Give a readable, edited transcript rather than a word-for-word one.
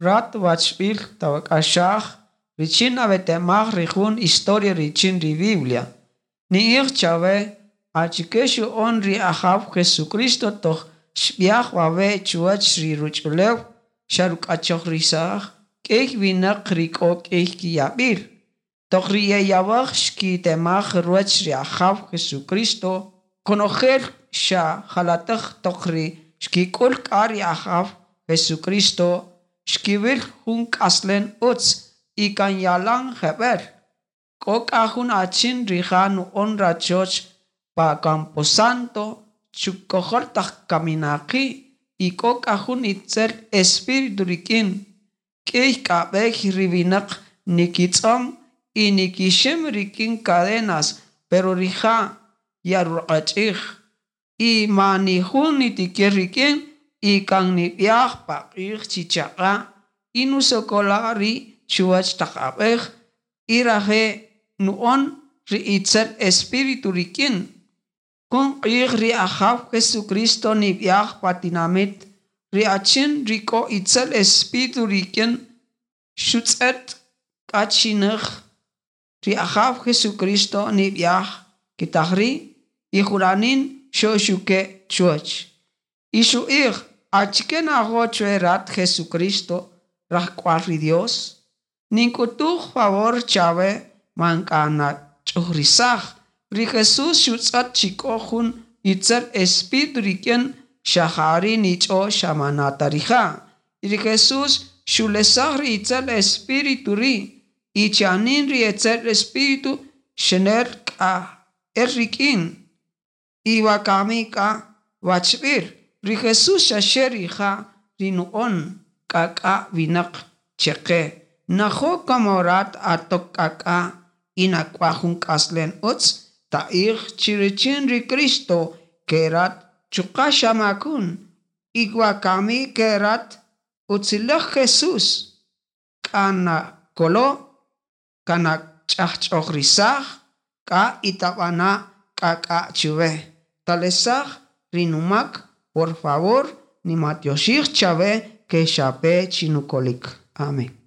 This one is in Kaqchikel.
Rat wachb'il tawak'axaj richin nawetamaj ri jun historia richin ri Biblia. Ni'ij chawe achike xu'on ri Ajaw Jesucristo toq xb'yaj wawe' chuwäch ri ruch'ulew xeruk'achojrisaj k'ïy winäq ri k'o k'ïy kiyab'il. Toq ri yeyawäj xkitemaj ruwäch ri Ajaw Jesucristo, konojel xa jalatäj toq ri xkik'ül k'a ri Ajaw Jesucristo xkiwïl jun k'aslem ütz y kan yalan jeb'ël. K'o k'a jun achin rija' nu'on rachoch pa Camposanto chukojol taq kaminaqi' y k'o k'a jun itzel espíritu rik'in. K'ïy k'a b'ey ri winäq nikitz'öm y nikixim rik'in cadenas, pero rija' yarruq'ach'ij y mani jun nitikir rik'in y kan nib'yaj paq'ij chi chaq'a' y nusokola' ri' chuwäch taq ab'äj y raje' nu'on ri itzel espíritu rik'in. Jun q'ij ri Ajaw Jesucristo nib'yaj pa tinamït, ri achin ri k'o itzel espíritu rik'in xutz'ët k'a chi näj ri Ajaw Jesucristo nib'yaj kitaj ri' y juranin xoxuke' chuwäch. Y xu'ij: ¿Achike najo' chwe rat Jesucristo, rajk'wal ri Dios? Nink'utuj favor chawe man k'a nach'ujrisaj. Ri Jesús xutz'ët chi k'o jun itzel espíritu rik'in, xa ja ri' nich'o xa manata rija'. Y ri Jesús xulesaj ri itzel espíritu ri' y chanin ri itzel espíritu xenel k'a el rik'in. Y wakami k'a wachb'il, ri Jesús xa xe rija' ri nu'on k'ak'a' winäq chaqe. Najo' como rat atok k'ak'a' y nak'waj jun k'aslem utz, ta'ij chi richin ri Cristo ke rat chuqa' xamakun y wakami ke rat utziläj Jesús k'a nakolo', kanach'ajch'ojrisaj k'a y tab'ana' k'ak'a' chuwe. Talesaj ri numak, por favor, nimatyoxij chawe ke xape chinukolik. Amén.